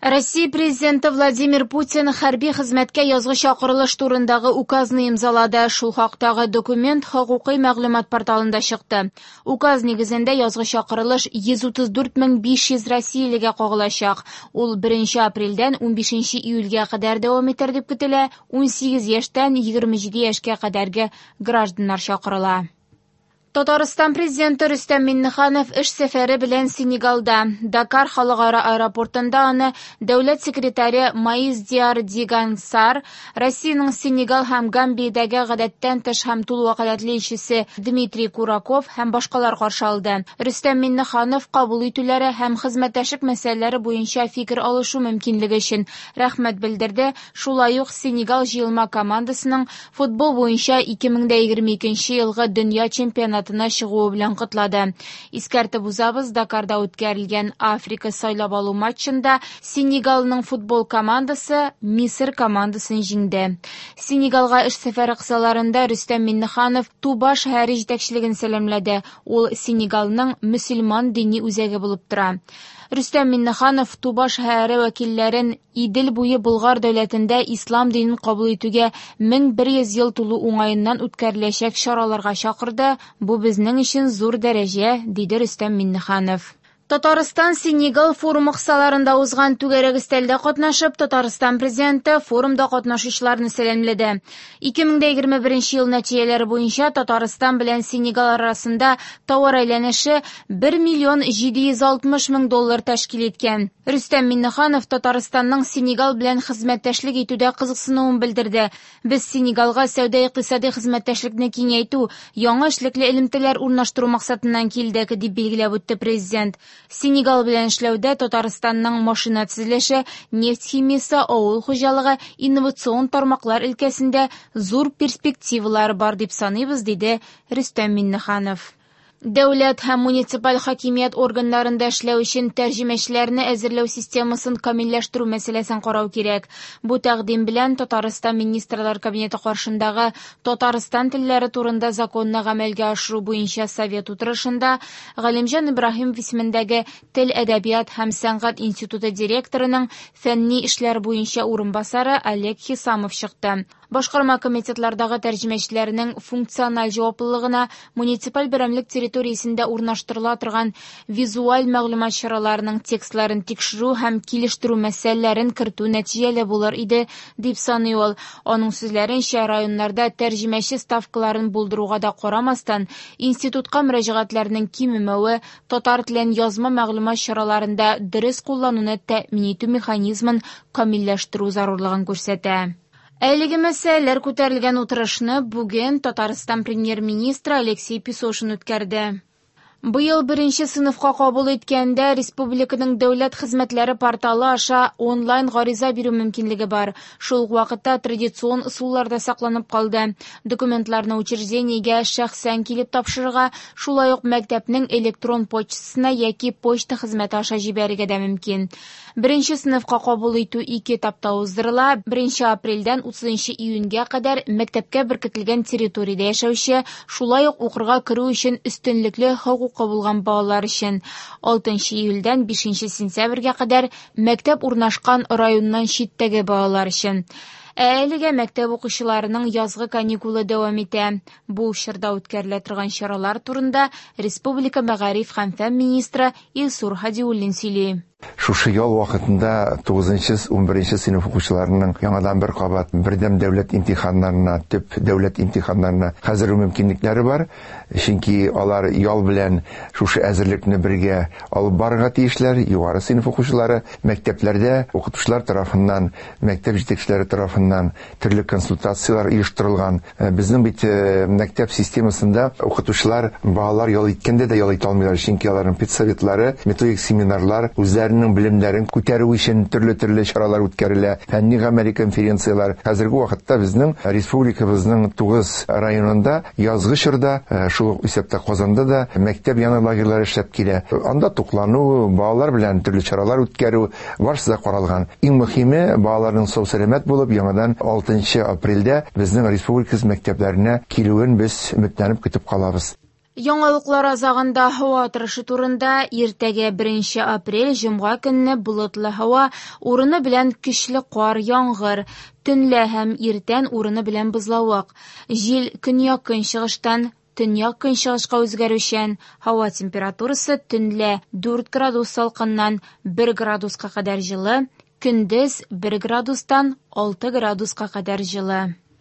Россия Президенты Владимир Путин хәрби хезмәткә язгы чакырылыш турындагы указны имзалады. Шул хактагы документ хокукый мәгълүмат порталында чыкты. Указ нигезендә язгы чакырылыш 134 500 россиялегә кагылачак. Ул 1 апрельдән 15 июльгә кадәр дәвам итәр дип көтелә. 18 яшьтән 27 яшькә кадәрге гражданнар чакырыла. Татарстан президенты Рөстәм Миңнеханов эш сәфәре белән Сенегалда. Дакар халыкара аэропортында аны дәүләт секретаре Маис Диар Диган Сар, Россиянең Сенегал һәм Гамбиядәге гадәттән тыш һәм тулы вәкаләтле илчесе Дмитрий Кураков һәм башкалар каршы алды. Рөстәм Миңнеханов кабул итүләре һәм хезмәттәшлек мәсьәләләре буенча фикер алышу мөмкинлеге өчен рәхмәт белдерде. Шулай ук Сенегал җыелма командасының футбол буенча 2022 елгы дөнья чемпионатына чыгуы белән котлады. Искәртеп узабыз, Дакарда үткәрелгән Африка сайлап алу матчында Сенегалның футбол командасы Мисыр командасын җиңде. Сенегалга эш сәфәре кысаларында Рөстәм Миңнеханов Туба шәһәре җитәкчелеген сәламләде. Ул Сенегалның мөселман дини үзәге булып тора. Рөстәм Миңнеханов Туба шәһәре вәкилләрен Идел буе Болгар дәүләтендә ислам динен кабул итүгә 1100 ел тулу уңаеннан үткәреләчәк чараларга чакырды. Бу безнең өчен зур дәрәҗә, диде Рөстәм Миңнеханов. Татарстан Сенегал форумы кысаларында узган түгәрәк өстәлдә катнашып, Татарстан президенты форумда катнашучыларны сәламләде. 2021 ел нәтиҗәләре буенча Татарстан белән Сенегал арасында товар әйләнеше 1 миллион 760 мең доллар тәшкил иткән. Рөстәм Миңнеханов Татарстанның Сенегал белән хезмәттәшлек итүдә кызыксынуын белдерде. Без Сенегалга сәүдә-икътисади хезмәттәшлекне киңәйтү, яңа эшлекле элемтәләр урнаштыру максатыннан килдек, дип билгеләп үтте президент. Сенегал белән эшләүдә Татарстанның машина төзелеше, нефть химиясе, авыл хуҗалыгы, инновацион тармаклар өлкәсендә зур перспективалар бар дип саныйбыз, диде Рөстәм Миңнеханов. Дәүләт һәм муниципаль хакимият органнарында эшләү өчен тәрҗемәчеләрне әзерләү системасын камилләштерү мәсьәләсен карау кирәк. Бу тәкъдим белән Татарстан Министрлар Кабинеты каршындагы Татарстан телләре турында законны гамәлгә ашыру буенча совет утырышында Галимҗан Ибраһимов исемендәге Тел, әдәбият һәм сәнгать институты директорының фәнни эшләр буенча урынбасары Олег Хисамов чыкты. Башкарма комитетлардагы тәрҗемәчеләрнең функциональ җаваплылыгына муниципаль берәмлек территориясендә урнаштырыла торган визуаль мәгълүмат чараларының текстларын тикшерү һәм килештерү мәсьәләләрен кертү нәтиҗәле булыр иде, дип саный ул. Аның сүзләренчә, районнарда тәрҗемәче ставкаларын булдыруга да карамастан, институтка мөрәҗәгатьләрнең кимемәве татар телен язма мәгълүмат чараларында дөрес куллануны тәэмин итү механизмын камилләштерү зарурлыгын күрсәтә. Әлеге мәсьәләләр күтәрелгән утырышны бүген Татарстан премьер-министры Алексей Песошин үткәрде. Быел беренче сыйныфка кабул иткәндә республиканың дәүләт хезмәтләре порталы аша онлайн гариза бирү мөмкинлеге бар. Шул ук вакытта традицион ысуллар да сакланып калды. Документларны учреждениегә шәхсән килеп тапшырырга, шулай ук мәктәпнең электрон почтасына яки почта хезмәте аша җибәрергә дә мөмкин. Беренче сыйныфка кабул итү ике этапта уздырыла. 1 апрельдән 30 июньгә кадәр мәктәпкә беркетелгән территориядә яшәүче, шулай ук укырга керү өчен өстенлекле хокукы булган балалар өчен. 6 июльдән 5 сентябрьгә кадәр мәктәп урнашкан районнан читтәге балалар өчен. Ә әлегә мәктәп укучыларының язгы каникулы дәвам итә. Бу чорда үткәрелә торган чаралар турында республика мәгариф һәм фән министры Илсур Һадиуллин сөйли. Шушы ял вакытында 9-11 сыйныф укучыларының яңадан бер кабат бердәм дәүләт имтиханнарына, төп дәүләт имтиханнарына хәзер мөмкинлекләре бар. Чөнки алар ял белән шушы әзерлекне бергә алып барырга тиешләр. Югары сыйныф укучылары мәктәпләрдә укытучылар тарафыннан, мәктәп җитәкчеләре тарафыннан төрле консультацияләр оештырылган. Безнең бит мәктәп системасында укытучылар балалар ял иткәндә дә ял итә алмыйлар, чөнки аларның педсоветлары, методик семинарлар, үзләренең белемнәрен күтәрү өчен төрле-төрле чаралар үткәрелә, фәнни гамәли конференцияләр. Хәзерге вакытта безнең республикабызның 9 районында язгы чорда, шул ук исәптә Казанда да мәктәп яны лагерьлары эшләп килә. Анда туклану, балалар белән төрле чаралар үткәрү барысы да каралган. Иң мөһиме, балаларның сау-сәламәт булып, яңадан 6 апрельдә безнең республикабыз мәктәпләренә килүен без өметләнеп көтеп калабыз. Яңалыклар азагында һава торышы турында. Иртәгә, 1 апрель, җомга көнне болытлы һава, урыны белән көчле кар, яңгыр. Төнлә һәм иртән урыны белән бозлавык. Җил көньяк-көнчыгыштан төньяк-көнчыгышка үзгәрүчән. Һава температурасы төнлә 4 градус салкыннан 1 градуска кадәр җылы, көндез 1 градустан 6 градуска кадәр җылы.